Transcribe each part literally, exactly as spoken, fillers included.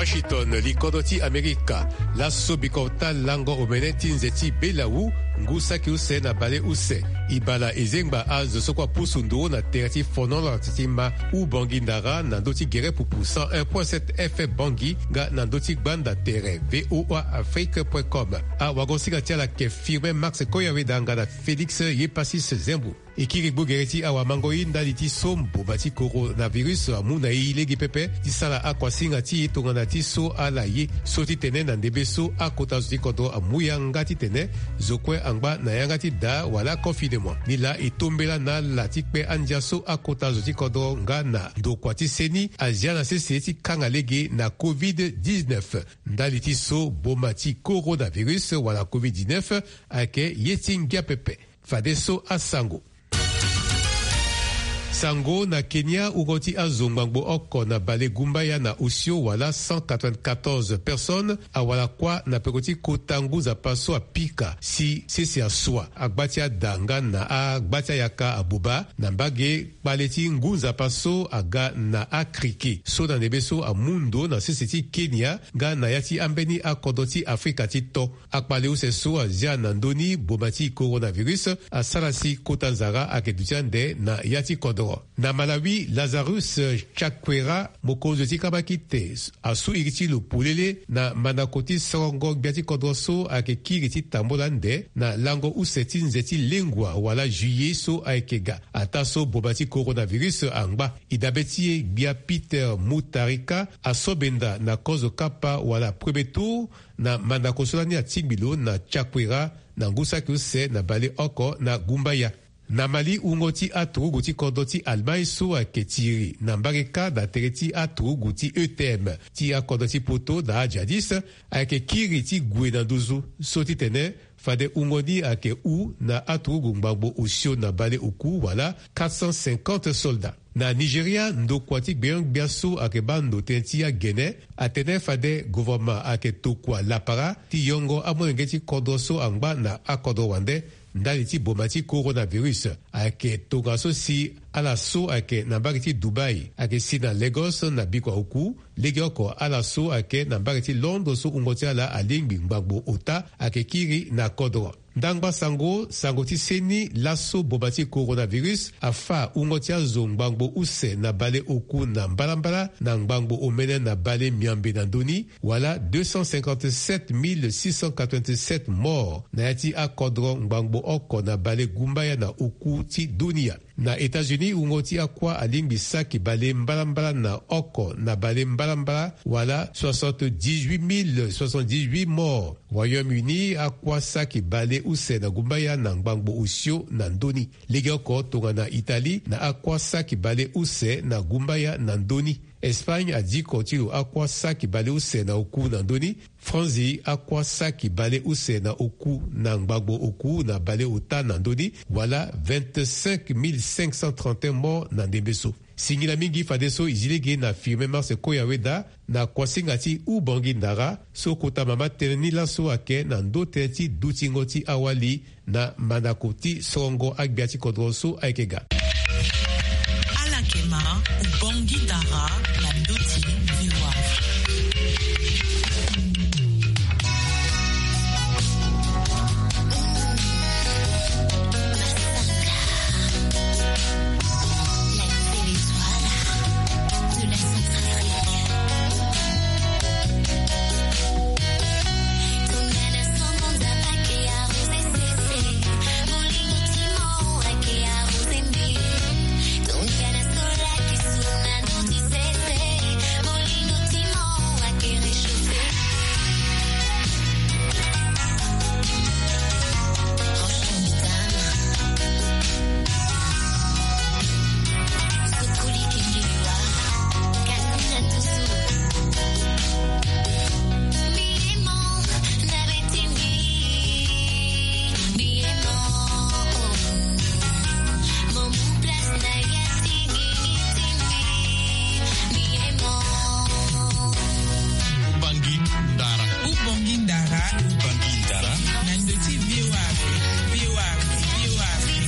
Washington, li kodro ti Amerika. Laso bikota lango omene ti nze ti belawu, ngu saki use na baleuse. E bala e zengba azo so kue apusu nduru na tere ti fonola ti ma Ubangui Ndara na ndö ti gere pupu cent un point sept F M Bangui nga na ndö ti gbanda tere V O A Afrique point com. Awagosinga ti ala ayeke Firmin Max Koyaweda nga na Félix Yepasis Zembo. E kiri gbogere ti awamango-i ndali ti so mboma ti coronavirus amu na e lege pepe ti sara akuasinga ti e tongana ti so ala ye so titene na ndembe so akota zo ti kodro amu yanga titene zo kue angba na yanga ti daa wala confinement. Nilaa e tombela na ala ti kpe andia so akota zo ti kodro nga na ndokua ti seni azia na sese ti kanga lege na covid dix-neuf. Ndali ti so mboma ti coronavirus wala covid dix-neuf ayeke ye ti ngia pepe. Fadeso asango. Sango na Kenya, wungo ti azo ngbangbo oko na balegumbaya na osio wala cent quatre-vingt-quatorze personnes awara kuâ na peko ti kota ngu nzapa so apika si sese asua agba ti ada nga na agba ti ayaka abuba na mbage kpale ti ngu nzapa so aga na akriki so na ndembe so amu ndo na sese ti Kenya nga na ya ti ambeni akodro ti Afrika ti to. Akpale use so azia na ndö ni mboma ti coronavirus asara si kota nzara ayeke duti ande na ya ti kodro. Na Malawi, Lazarus Chakwera, mokonzi ti kabakite, asu iri ti lo polele na mandako ti sorongo gbia ti kodro so ayeke kiri ti tambula ande na lango use ti nze ti lengua wala juillet so ayeke ga. Ataa so mboma ti coronavirus angba, e dabe ti e gbia Peter Mutharika asobenda na kozo kapa wala premier tour na mandako so lani atingbi lo na Chakwera na ngu saki use na baleoko na gumbaya. Na Mali, wungo ti aturugu ti kodro ti Allemagne so ayeke tiri na mbage kâ na tere ti aturugu ti E T M ti akodro ti poto na ajadis ayeke kiri ti gue na nduzu so titene fade wungo ni ayeke hu na aturugu ngbangbo osio na baleoku wala quatre cent cinquante soldats. Na Nigeria, ndokua ti gbenyo-gbia so ayeke baa ndo tënë ti agene atene fade governement ayeke tokua lapara ti yongo amolenge ti kodro so angba na akodro wande ndali ti mboma ti coronavirus. Ayeke tongaso si ala so ayeke na mbage ti Dubai ayeke si na Lagos na bikua oku, legeoko ala so ayeke na mbage ti Londres so wungo ti ala alingbi ngbangbo ota ayeke kiri na kodro. Ndangba sango, sango ti seni laso mboma ti coronavirus afâ wungo ti azo ngbangbo use na baleoku na mbalambala na ngbangbo omene na balemiambe na ndö ni, wala deux cent cinquante-sept mille six cent quatre-vingt-sept morts na ya ti akodro ngbangbo oko na balegumbaya na oku ti dunia. Na États-Unis, wungo ti akuâ alingbi saki balembalambala na oko na balembalambala, wala soixante-dix-huit mille soixante-dix-huit morts. Royaume-Uni, akuâ saki baleuse na gumbaya na ngbangbo osio na ndö ni. Legeoko tongana Italie, na akuâ saki baleuse na gumbaya na ndö ni. Espagne adiko ti lo akuâ saki baleuse na oku na ndö ni. Franzi akuâ saki baleuse na oku na ngbangbo oku na baleota na ndö ni, wala vingt-cinq mille cinq cent trente et un morts na ndembe so. Singila mingi fadeso e zi lege na Firmin Mars Koyaweda na kuasinga ti Ubangui Ndara so kota mama tënë ni laso ayeke na ndö tënë ti dutingo ti awali na mandako ti sorongo agbia ti kodro so ayeke ga. Ala yeke ma Ubangui Ndara na ndö ti V O A. Ubangui Ndara. Ubangui Ndara. Ubangui Ndara. Na ndö ti V O A Afrique. V O A Afrique. V O A Afrique.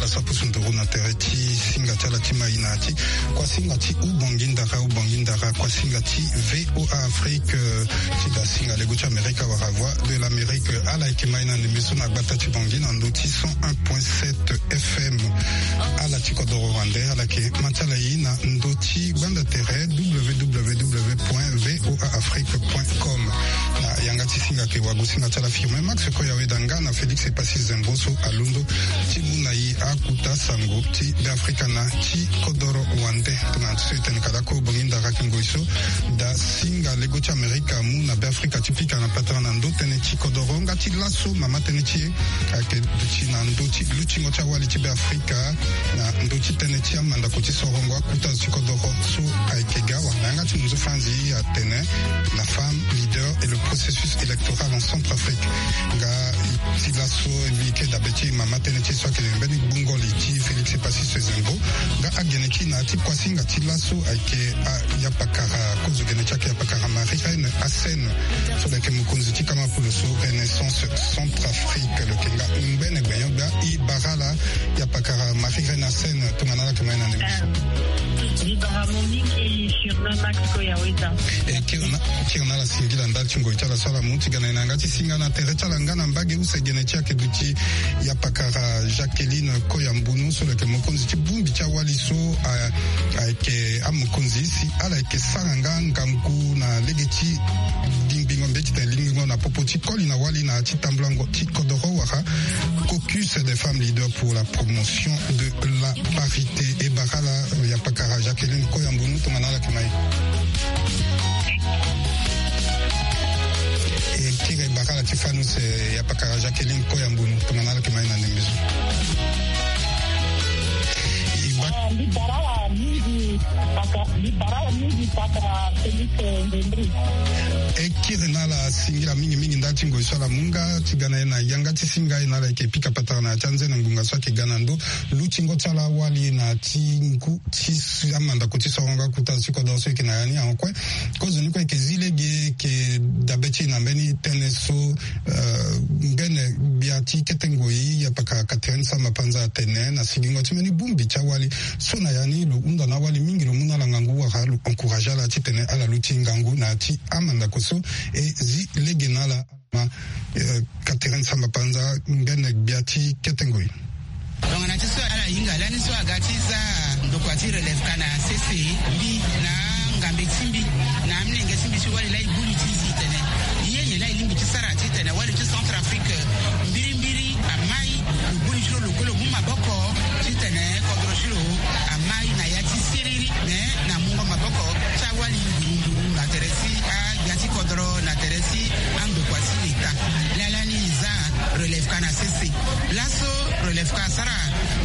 Sapusu nduru na tere ti singa ti ala ti mai na ti kuasinga ti Ubangindara, Ubangindara, kuasinga ti V O A Afrique, eh, ti da singa lego ti Amerika wala Voix de l'Amérique. Ala yeke mai na ndembe so na gbata ti Bangui na ndö ti cent un point sept F M. Ala ti kodoro wande, ala yeke ma ti ala ye na ndö ti gbanda tere W W W point V O A Afrique point com. Na yanga ti singa ayeke wagosinga ti ala Firmin Max Koyaweda nga na Félix Epassi Zembo so alondo ti mu na e akuta sango ti Beafrika na ti kodoro wande. Tongana ti so e tene ka lakue Ubangindara ayeke ngoi so da singa lego ti Amerika amu na Beafrika ti pika na patara na ndö tënë ti kodoro nga ti laso mama tënë ti e ayeke duti na ndö ti lutingo ti awali ti Beafrika na ndö ti tënë ti amandako ti sorongo akuta zo ti kodoro so ayeke ga wala na yanga ti munzu Franzi atene la femme leader et le processus électoral en Centrafrique. Nga ti laso e mbi yeke dabe ti mama tënë ti e so ayeke mbeni gbungo li ti Félix Epassi Zembo. Nga agene ti e na ya ti kuasinga ti laso ayeke, ah, yapakara, kozo gene ti ayeke yapakara Marie Reine Assène so lo yeke mokonzi ti kama polo so Renaissance Centrafrique. Lo yeke nga ngbene gbenyo-gbia. E bara ala yapakara Marie Reine Assène, tongana ala yeke ma e na ndembe so. Mbi bara mo mingi Firmin Max Koyaweda. E kiri na, kiri na ala singila ndali ti ngoi ti ala so ala mu ti ga na e na yanga ti singa na tere ti ala nga na mbage use gene ti ayeke duti yapakara Jacqueline Koyambunu so lo yeke mokonzi ti bongbi ti awali so a, ayeke amokonzi si ala yeke sara nga ngangu na lege ti lingbingo mbeti tene lingbingo na popo ti koli na wali na ya ti tambulango ti kodoro wala caucus des femmes leaders pour la promotion de la parité. E bara ala yapakara Jacqueline Koyambunu, tongana ala yeke ma e. E kiri e bara ala ti fani use yapakara Jacqueline Koyambunu, tongana ala yeke ma e na ndembe so. E ba- Ah, mbi bara ala mingi, paka, mbi bara ala mingi, paka Félix Ndembri. E kiri na ala singila mingi mingi ndali ti ngoi so ala mu nga ti ga na e na yanga ti singa e na ala yeke pika patara na ya ti anzene ngbonga so ayeke ga na ndö lutingo ti ala awali na ya ti ngu ti amandako ti sorongo akuta zo ti kodoro so e yeke na ya ni. Ankue, kozoni kue e yeke zi lege e yeke dabe ti e na mbeni tënë so, eh, ngbene gbia ti kete ngoi yapakara Catherine Samba Panza atene na sigingo ti mbeni bongbi ti awali so na ya ni lo hunda na awali mingi, lo mu na ala ngangu wala lo encourage ala titene ala luti ngangu na ya ti amandako so. E zi lege na ala ma, eh, Catherine Samba Panza, ngbene gbia ti kete ngoi. Tongana ti so ala hinga lani so aga ti za ndokua ti Relève Ka na sese, mbi na angambe ti mbi na amolenge ti mbi ti wali laa e boni ti zi tene ye nyen laa e lingbi ti sara titene wali ti Centrafrique mbirimbiri amai. Lo boni ti lo lo kue lo mu maboko titene kodro ti lo amai na ya ti siriri, me na mungo maboko ti awali nduru nduru na tere ti agbia ti kodro na tere ti andokua ti leta. Laa lani e za Relève Ka na sese. Laso Relève Ka asara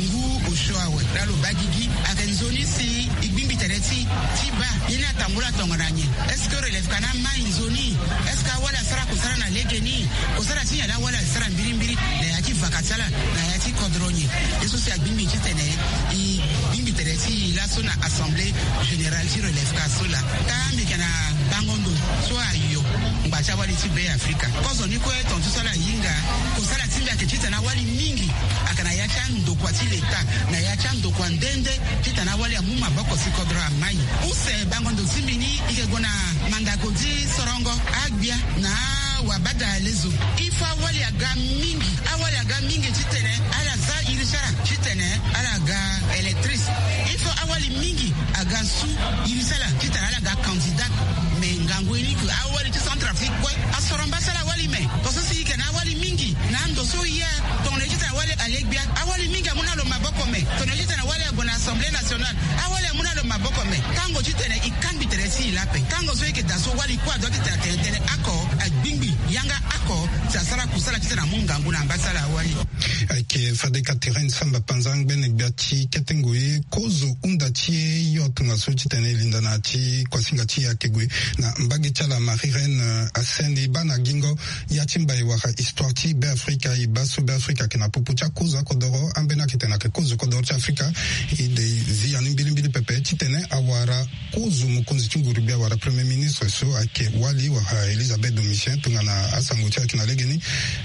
ngu osio awe laa lo baa gigi. Ayeke nzoni si e gbingbi tere ti e ti baa ye ni atambula tongana nyen? Est-ce que Relève Ka ni amai nzoni? Est-ce que awali asara kosara na legeni? Kosara ti nyen laa awali asara mbirimbiri na ya ti vaka ti ala na ya ti kodro nyen? Ye so si agbingbi titene e gbingbi tere ti e laso na Assemblée Générale ti Relève Ka so laa. Ka mbi yeke na bango ndo so ayo ngba ti awali ti Beafrika. Kozoni kue tongaso ala hinga, kosala ti mbi ayeke titene awali mingi ayeke na ya ti andokua ti leta, na ya ti andokua nde nde, titene awali amu maboko si kodro amai. Use bango ndo ti mbi ni e yeke gue na mandako ti sorongo agbia na wabada lezo. Il faut awali aga mingi, awali aga mingi titene ala za iri ti ala titene ala ga électrice. Il faut awali mingi aga su iri ti ala titene ala ga candidat. Me ngangu ye ni ke awali ti Centrafrique kue asoro mbasala awali me. Tongaso si e yeke na awali mingi na ando so ye, tongana ye titene awali ale gbia, awali mingi amu na lo maboko me. Tongana ye titene awali ague na Assemblée Nationale, awali amu na lo maboko me. Tango titene e kangbi tere ti e laa ape. Tango so e yeke daa so wali kue adoit titene atene tënë oko, agbingbi yanga oko si asara kusala titene amu ngangu na mbasala awali. Ayeke fade Catherine Samba Panza ngbene gbia ti kete ngoi, kozo hunda ti e yo tongaso titene e linda na ya ti kuasinga ti e ayeke gue na mbage ti ala Marie Reine, eh, Assène. E baa na gingo ya ti mbai wala histoire ti Beafrika, e baa so Beafrika ayeke na popo ti akozo akodoro ambeni ayeke titene ayeke kozo kodoro ti Afrika. E de zi ya ni mbilimbili pepe titene awara kozo mokonzi ti nguru-gbia wala premier ministre so ayeke wali wala Elisabeth Domitien tongana asango ti ayeke na legeni.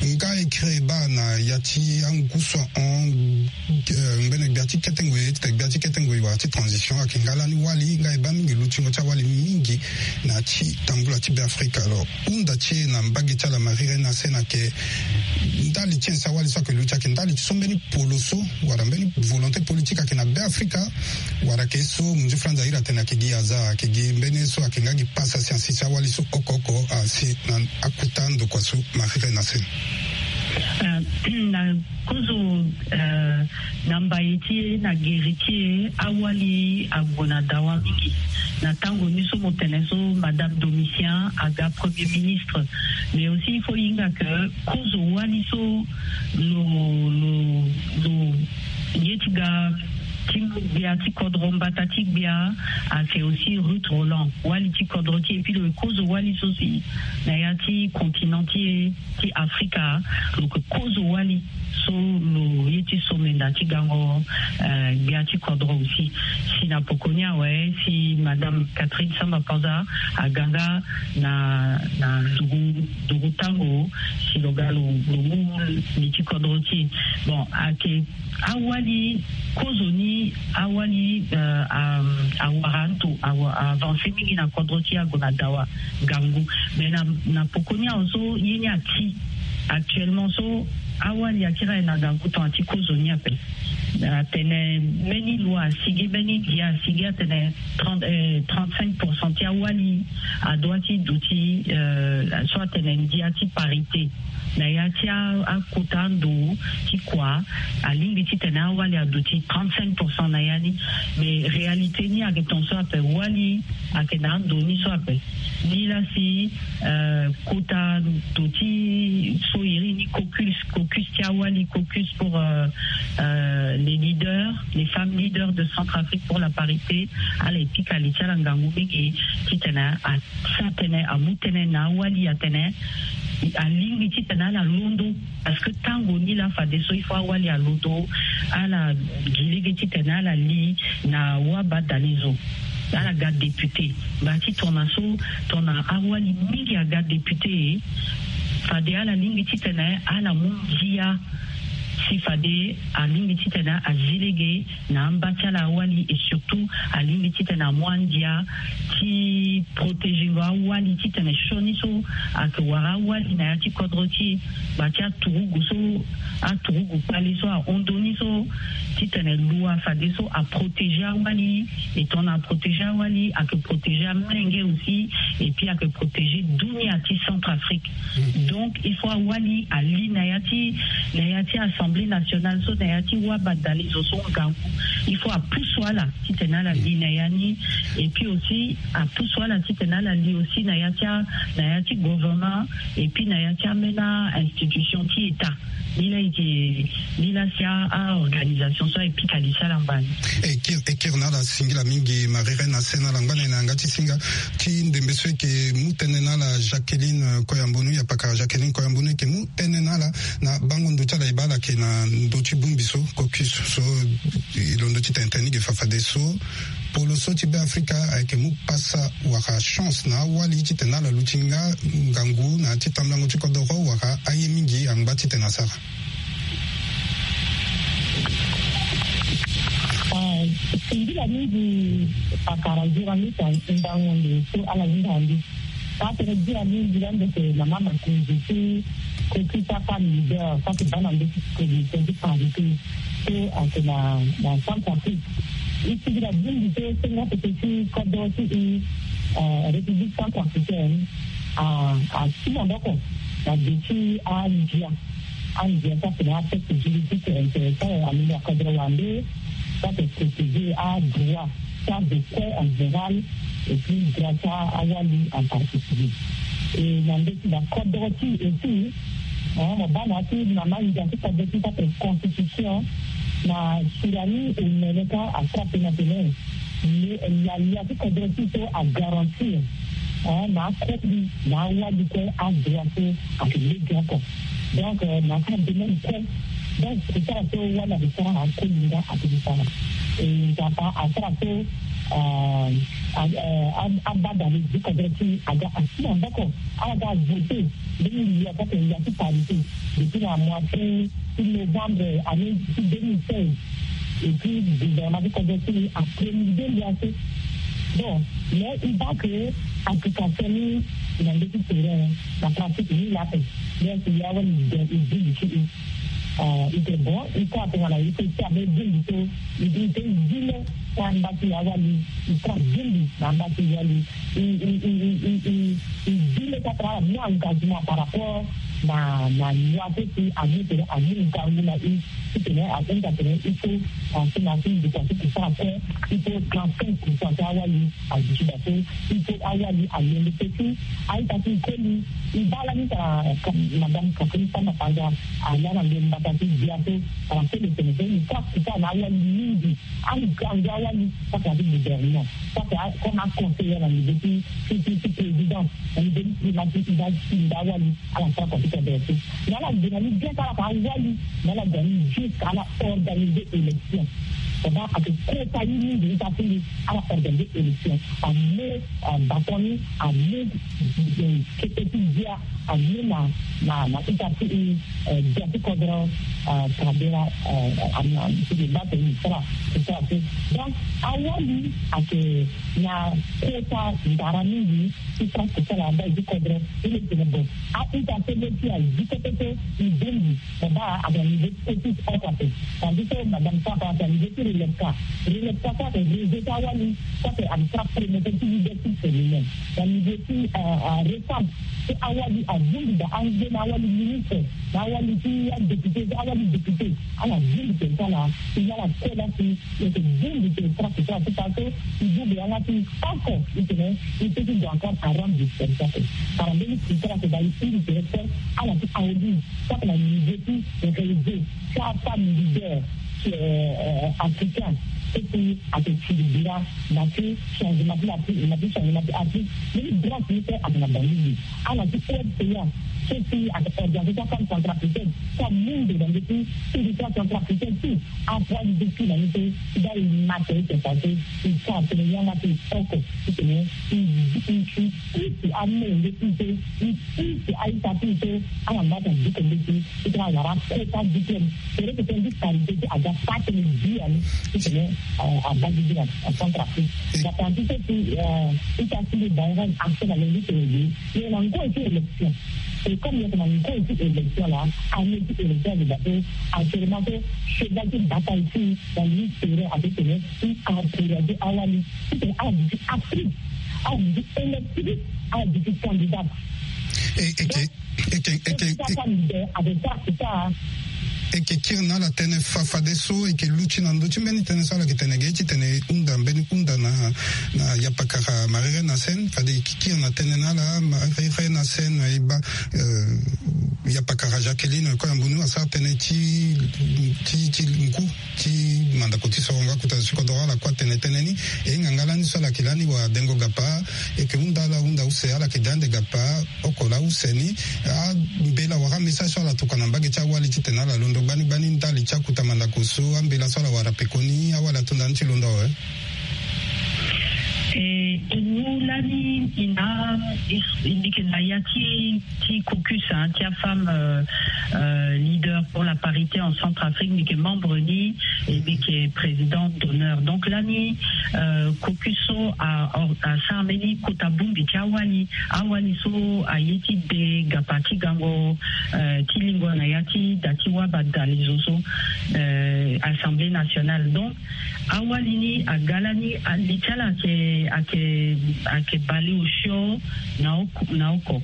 Nga e kiri e baa na ya ti angusu ahon, eh, ngbene gbia ti kete ngoi, titene gbia ti kete ngoi wala ti transition ayeke nga lani wali. Nga e baa mingi lutingo ti awali mingi na ya ti tambula ti Beafrika. Alors hunda ti e na mbage ti ala Marie Reine Hassen ayeke ndali ti nyen si awali so ayeke luti, ayeke ndali ti so mbeni polo so wala mbeni volonté politique ayeke na Beafrika, wala ayeke so munzu franza iri atene ayeke gi hasard, ayeke gi mbeni ye so ayeke nga gi pasa si asi ti awali so oko oko asi na akuta ndokua so Marie Reine Hassen. Eh, na kozo, eh, na mbaye ti e, na gere ti e, awali ague na dawa mingi. Na tango ni so mo tene so Madame Domitien aga premier ministre. Mais aussi il faut hinga que kozo wali so lo, lo, lo ye ti ga ti mu gbia ti kodro, mbata ti gbia, ayeke aussi Ruth Roland, wali ti kodro ti e. Puis lo kozo wali so si na ya ti continent ti e ti Afrika, lo yeke kozo wali so lo ye ti somenda ti gango, eh, gbia ti kodro aussi. Si na poko ni awe, si Madame Catherine Samba Panza aga nga na, na nduru, nduru tango, si lo ga lo, lo mu li ti kodro ti e. Bon, ayeke awali, kozo ni awali, eh, a, awara ndo, awa, avance mingi na kodro ti e, ague na dawa ngangu. Mais na, na poko ni awe so ye ni ati actuellement so, awali akiri aye na ngangu tongana ti kozo ni ape. Atene mbeni loi asigi, mbeni ndia asigi atene trente, eh, trente-cinq pour cent ti awali adoit ti duti, eh, so atene ndia ti parité. Na ya ti a, akota ndo ti kua, alingbi titene awali aduti trente-cinq pour cent na ya ni. Mais réalité ni ayeke ton so ape, wali ayeke na ando ni so ape. Ni laa si, eh, kota ndo ti so iri ni caucus, caucus ti awali, caucus pour, eh, eh, les leaders, les femmes leaders de Centrafrique pour la parité, ala e pika li ti ala ngangu mingi titene a sa tënë, amu tënë na awali atene alingbi titene ala londo. Parce que tango ni laa fadeso il faut awali alondo, ala gi lege titene ala li na wabadalezo, ala ga député. Ngba ti tongana so, tongana awali mingi aga député, fade ala lingbi titene ala mu ndia. Si fade alingbi titene azi lege na amba ti ala awali, et surtout alingbi titene amu andia ti protéger ngo awali titene sioni so ayeke wara awali na ya ti kodro ti e, ngba ti aturugu so, aturugu kpale so ahon ndo ni so, titene loi fadeso aprotéger awali. Et tongana aprotéger awali, ayeke protéger amolenge aussi, et puis ayeke protéger dunia ti Centrafrique. Donc il faut awali ali na ya ti, na ya ti Assemblée nationale so, na ya ti wabadalezo so ngangu. Il faut apusu ala titene ala li na ya ni. Et puis aussi apusu ala titene ala li aussi na ya ti a, na ya ti gouvernement, et puis na ya ti ambeni a-institution ti État. Ni laa e yeke, ni laa si a, a-organisation so aye pika li ti ala ngba ni. E kiri, e kiri na ala, singila mingi Marie Reine Hassen. Na ala ngba na e na yanga ti singa ti ndembe so e yeke mu tënë na ala Jacqueline, eh, Koyambonu, ya pakara Jacqueline Koyambonu, e yeke mu tënë na ala na bango ndo ti ala. E baa ala yeke na ndo ti bongbi so, caucus so, e londo titene tënë ni ge fa fadeso polo so ti Beafrika ayeke mu pasa wala chance na awali titene ala luti nga ngangu na ya ti tambulango ti kodoro wala aye mingi angba titene asara. Ah, singila mingi pakara journaliste, ndango nde so ala hinga ande. Parce que dia mingi la ndeke na mama kunzi ti caucus ti afemme leader, parce que bana nde ti commission ti parité so ayeke na, na Centrafrique. E singila mingi so sengo tete ti kodro ti e, eh, République centrafricaine, a, asi maboko na ge ti andia. Andia so atene atexte juridique intéressant, alingi akodro wande so ate protéger adroit ti adekue en général, et puis droit ti awali en particulier. E na ndeti na kodro ti e aussi, eh, mo baa na ya ti mama ndia ti kodro ti so ate constitution, na sira ni omene ka asara tene atene, mais yaya ti kodro ti so agarantir, eh, na akoli na awali kue adroit so ayeke lege oko. Donc, eh, na ka domaine kue Donc, e sara so wala e sara akoli nga ake sara. E nzapa asara so, euh, a- euh, a- abada le du kodro ti aga asi na mboko. Ala ga voté. Ndenge ya kaka ya ti parité. Depuis na mois ti novembre année ti deux mille seize. Et puis gouvernement ti kodro ti apremier nde ya so. Bon, mais i baa ke application ni na ndeti terrain, na pratique ni la pe. Donc ya wani de i bindi ti i. Euh, i te bon, i ka tongana i te ti abe bindi so, i te i te i gile. Ti amba ti awali, i tra bindi na amba ti wali. I i i i i i i gile ti atara mu engagement par rapport na na loi so si amu tene amu ngangu na i. Titene ahunda tene il faut, euh, si na si ndikua so ti sara kue, il faut trente-cinq pour cent ti awali aduti da so. Il faut awali alongo pe ti a-ita ti koli. I baa lani tara madame Catherine Samba Panza, ala na ndo mbata ti bia so. Tara so le tene so ni ka kuta na awali mingi. Angangu awali, ça c'est avec le gouvernement. Ça c'est comme un conseiller na niveau ti ti ti président, na niveau ti primature, il va tinda awali. Ala sara computer berceau. Mais ala gena ni bien sara ka awali. Mais ala gena ni juste ala organiser élection. Pendant ake kota ye mingi ita ti ala organiser élection. Amu, euh, bâton ni, amu, euh, kete ti dia, amu na na na ita ti, euh, dia ti kodro, euh, kabera, euh, am na ti de bâton ni sara ti sara ti. Donc awali ake na kota ndara mingi ti sara ti sara amba ye ti kodro. Ti le tene bon, a-ita so le ti azi kete so i bongbi. Baba ake na niveau ti petit oko ape. Tandis que madame Sapa ake na niveau ti relève ka. Relève ka so ake réseau ti awali so ake ake sara promotion ti leadership féminin na niveau ti, euh, euh, récembre. So awali avundu da ange na awali ministre, na awali ti adéputé, awali député. Ala vundu tene so ala, i ala kola si i yeke bongbi tene sara ti sara ti sara so. I bongbi yanga ti oko i tene i peut ti gue encore à rendre du service ape. Tara mbeni ti sara ti da i iri tene so ala ti audi. Sara na niveau ti réseau ti afemme leader, euh, euh, africain. So si ake tiri bira na ti changement ti na ti na ti changement ti Afrique. Mbeni branche ni so ake na Bangi. Ala ti O F C A, so si ake organisation femme centrafricaine, so amu ndo na ndö ti territoire centrafricain ti. Apoids du défi na ni so i da i mata ete parce que i sara tene yanga ti oko ti tene i i i pusu amolenge ti so i pusu a-ita ti so ala mata diko mbeti. Ti tena wara kota diplôme. Tere ti tene ti qualité ti aga fa tene bi ani ti tene, euh, abaa gi gi na Centrafrique. Nga tena ti so si, euh, ita ti mbi bango action na lo ngi tene gi. Ye na ngoi ti élection. Et comme ye na ngoi ti élection la, année ti élection de bateau, actuellement so cheval ti bataille ti na li tere ake tene ti encourager awali ti tene ala duti actrice, ala duti électrice, ala duti candidate. Et, et que, et que, et que, et que, eke kiri na ala tënë fa fadeso, eke luti na ndö ti mbeni tënë so ala yeke tene ge ti tene hunda mbeni hunda na, na yapakara Marie Reine Assène, fade eke kiri na tënë na ala Marie Reine Assène, e baa, euh, yapakara Jacqueline Koyambunu asara tënë ti, ti, ti ngu ti mandako ti soronga kota ti kodoro, ala kue atene tënë ni. E hinga nga lani so ala yeke lani wadengo gapa, eke hunda ala hunda use, ala yeke de ande gapa oko laa use ni. Ambela wala amessage so ala tokua na mbage ti awali titene ala londo gbani gbani ndali ti akota mandako so, ambela so ala wara pekoni, awali ato ndani ti londo awe. E, e mu lani i na, i, i mbi yeke na ya ti, ti caucus, hein, ti afemme, euh, euh, leader pour la parité en Centrafrique, mbi yeke membre ni, e mbi yeke présidente d'honneur. Donc lani, euh, caucus so a, a, asara mbeni kota bongbi ti awali, awali so aye ti de gapa ti gango, euh, ti lingua na ya ti da ti wabadalizo so, euh, Assemblée nationale. Donc awali ni aga lani, a, li ti ala ayeke, ayeke, ayeke baleosio na oko, na oko.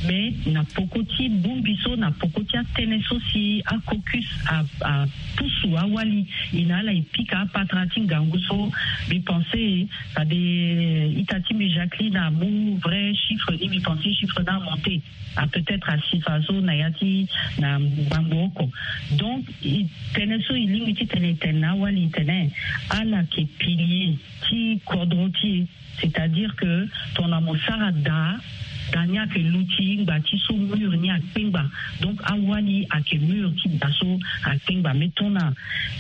Mais na poko ti bongbi so, na poko ti atënë so si acaucus a, apusu awali, e na ala e pika apatara ti ngangu so. Mbi pense, fade ita ti mbi Jacqueline amu vrai chiffre ni, mbi pense chiffre ni amonte. A peut-être asi faso na ya ti na ngbangbo oko. Donc e tënë so e lingbi titene e tene na awali, e tene ala yeke pilier ti kodro ti e. C'est-à-dire que tongana mo sara daa, Da ni ayeke luti ngba ti so mur ni akpengba. Donc awali ayeke mur ti da so akpengba. Mais tongana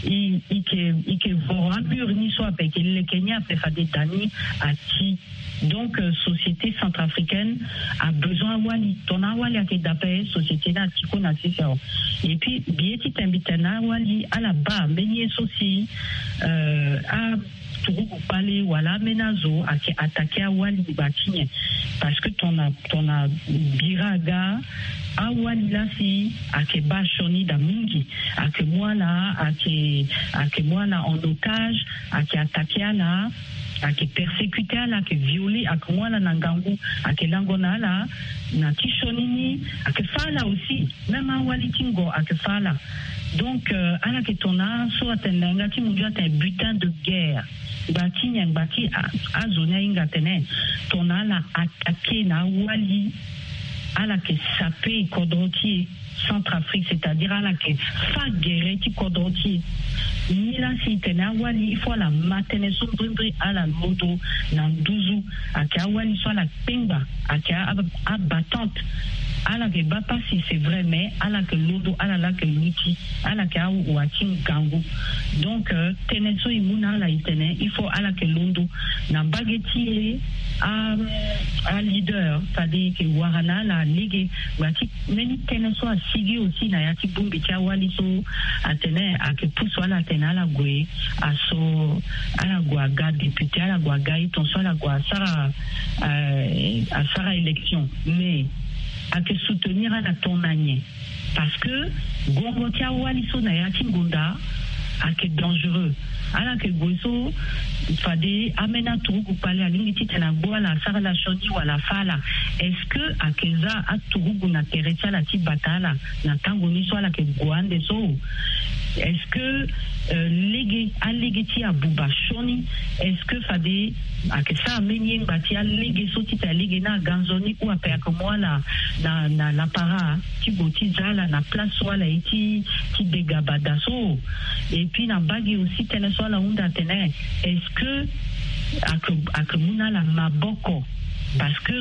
i i ke i ke voro amur ni so ape, i ke leke ni ape, fade da ni ati. Donc euh, société centrafricaine a besoin awali. Tongana awali ayeke da ape, société ni ati kue na sese awe. Et puis billet ti tene mbi tene na awali ala baa mbeni ye so si euh, a turugu kpale wala ameni azo ayeke attaqué awali ngba ti nyen? Parce que tongana tongana bira aga, awali laa si ayeke baa sioni daa mingi. Ayeke mu ala ayeke ayeke mu ala en otage, ayeke attaqué ala, ayeke persécuté ala, ayeke violé, ayeke mu ala na ngangu, ayeke lango na ala na ti sioni ni. Ayeke fâ ala aussi. Même awali ti ngo ayeke fâ ala. Donc euh, ala yeke tongana so atene na yanga ti mundu atene butin de guerre. Ngba ti nyen? Ngba ti a- azo ni ahinga atene tongana ala attaqué na awali, ala yeke sapé kodro ti e, Centrafrique, c'est-à-dire ala yeke fâ gere ti kodro ti e. Ni laa si e tene awali, il faut ala ma tënë so mbrimbri, ala londo na nduzu. Ayeke awali so ala kpengba, ayeke a- abattante. Ala yeke baa pasi, c'est vrai, mais ala yeke londo, ala laa yeke luti, ala yeke awa ti ngangu. Donc euh, tënë so e mu na ala e tene il faut ala yeke londo na mbage ti e. A aleader, fade e yeke wara na ala lege. Ngba ti mbeni tënë so asigi aussi na ya ti bongbi ti awali so atene ayeke pusu ala atene ala gue aso, ala gue aga député, ala gue aga ye tongaso ala gue asara euh, asara élection. Mais ayeke soutenir ala tongana nyen? Parce que gongo ti awali so na ya ti ngonda ayeke dangereux. Ala yeke gue so fade ambeni aturugu kpale alingbi titene agbu ala, asara ala sioni wala afâ ala. Est-ce que ayeke za aturugu na tere ti ala ti bata ala na tango ni so ala yeke gue ande so? Est-ce que euh, lege alege ti abuba sioni? Est-ce que fade ayeke sara mbeni ye ngba ti alege so titene alege ni aga nzoni ou ape ayeke mu ala na na lapara ti gue ti za ala na place so ala ye ti ti degaba daa so? Et puis na mbage aussi tënë so ala hunda atene est-ce que ayeke ayeke mu na ala maboko? Parce que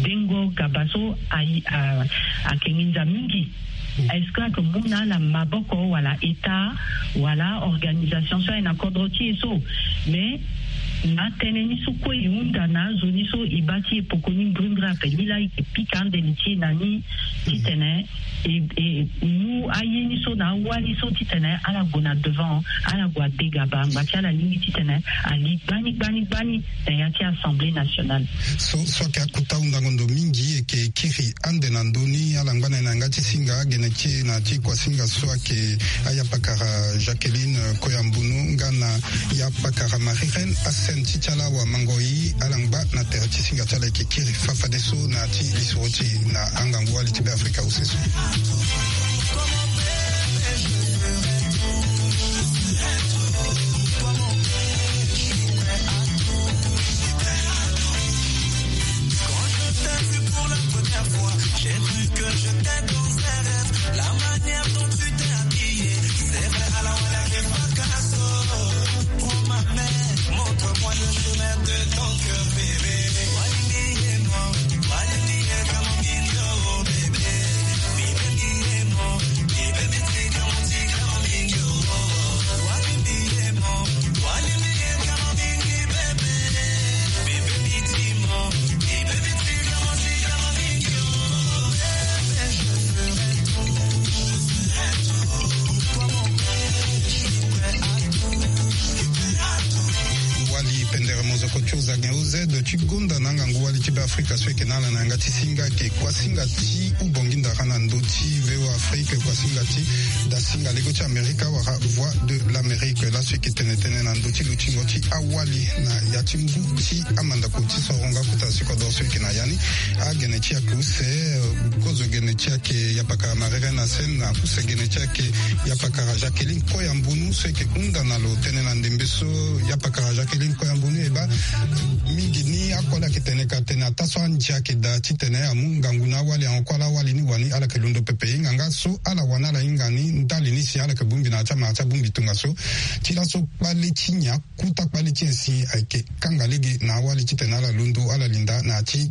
dengo gaba so ayi a- ayeke nginza mingi. Est-ce que ayeke mu na ala maboko wala état wala organisation so aye na kodro ti e so? Mais na tënë ni so kue e hunda na azo ni so e baa ti e poko ni mbrimbri ape, ni laa e yeke pika ande li ti e na ni titene e e mu aye ni so na awali so titene ala gue na devant, ala gue adegaba ngba ti ala lingbi titene ali gbani gbani gbani na ya ti Assemblée nationale. So so ayeke akota hundango ndo mingi e yeke kiri ande na ndö ni ala ngba na e na yanga ti singa gene ti e na ti kuasinga so ayeke ayapakara Jacqueline Koyambunu nga na yapakara Marie Reine Hassen ti ti ala awamango-i. Ala ngba na tere ti singa ti ala e yeke kiri fafadeso na ya ti lisoro ti e na angangu wali ti Beafrika use so. Quand je t'ai vu pour la première fois, j'ai cru que j'étais dans un rêve. La manière dont tu t'es habillée, c'est vrai, à la wala, j'ai pas qu'à ça. Prends ma main, montre-moi le chemin de ton cœur, bébé. Why me, yeah, no? Why me, yeah, come on, give me your bébé? Baby, yeah, no. Baby, take a Wali pendere mozoko ti ozagen oz ti gonda na angangu wali ti Beafrika so eke na ala na yanga ti singa eke kuasinga ti ubongi ndara na ndö ti V O A Afrique, kuasinga ti dasinga lego ti Amerika wala Voix de l'Amérique. Laso eke tene tënë na ndö ti lutingo ti awali na ya ti ngu ti amandako ti soronga kota si kodro so eke na ya ni. Agene ti ake use, eh, kozo gene ti ake yapakara Marie Reine Hassen na use gene ti ake yapakara Jacqueline Koyambunu so eke hunda na lo tënë na ndembe so. Yapakara Jacqueline Koyambunu e baa mingi ni akoli ayeke tene ka tene ataa so andia ayeke daa titene amu ngangu na awali, ahon kue ala awali ni wani ala yeke londo pepe. Hinga nga so ala wani ala hinga ni ndali ni si ala yeke bongbi na ya ti amara ti abongbi tongaso. Ti laso kpale ti nyen? Kuta kpale ti nyen si ayeke kanga lege na awali titene ala londo, ala linda na ya ti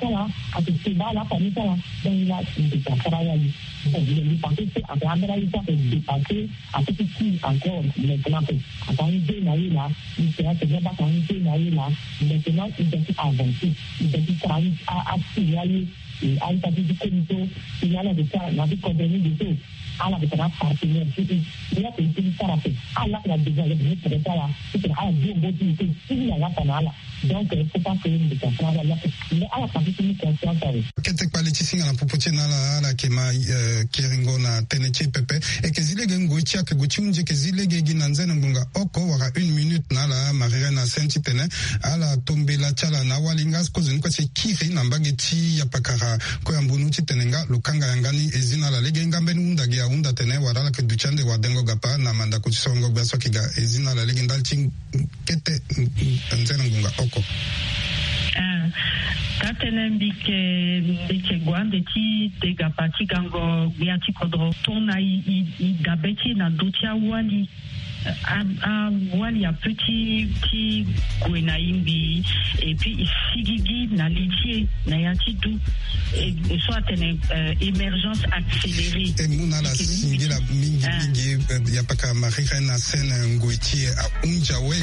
ti ala, ake keba ala famille ti ala. Donc la, ndeke asara wali. Bon, le lipanse so ake ambeni aye so ake dépassé, ake ti kiri encore maintenant pe. Ake anze na ye laa, ndeke ake na baka anze na ye laa. Maintenant il doit ti avancer, il doit ti sara akiri aye. E aita ti ti komi so, e ala yeke ti ala na ti kodro ni de so. Ala yeke tena apartenaire ti e. E ake ti sara ape. Ala yeke na besoin, ala yeke ti tene ti ala ti tene ala dio ngo ti e ti e ti ala yeke na ala. Donc il faut pas que ndeke asara ala yeke. Mais ala pase ti mu conscience awe. Kete kpale ti singa na popo ti e na ala, ala yeke ma, euh, keringo na tënë ti e pepe. E yeke zi lege ngoi ti e ake gue ti hunzi, e yeke zi lege gi na nzene ngbonga oko wala une minute na ala Marie Reine Hassen titene ala to mbela ti ala na awali nga kozoni kue si e kiri na mbage ti yapakara. Kue ambunu titene nga lo kanga yanga ni, e zi na ala lege nga mbeni hunda gi ahunda tene wala ala yeke duti ande wadengo gapa na mandako ti sorongo gbia so ayeke ga. E zi na ala lege ndali ti kete nzene ngbonga oko. Ah, taa tënë mbi yeke, mbi yeke gue ande ti de gapa ti gango gbia ti kodro tongana e, e, e dabe ti e na ndö ti awali. A, awali ape ti, ti gue na e ngbii, et puis e sigigi na li ti e na ya ti du. E, e so atene, euh, émergence accélérée. E mu na ala singila mingi, ah, mingi, euh, yapakara Marie Reine Hassen, ngoi ti e ahunzi awe.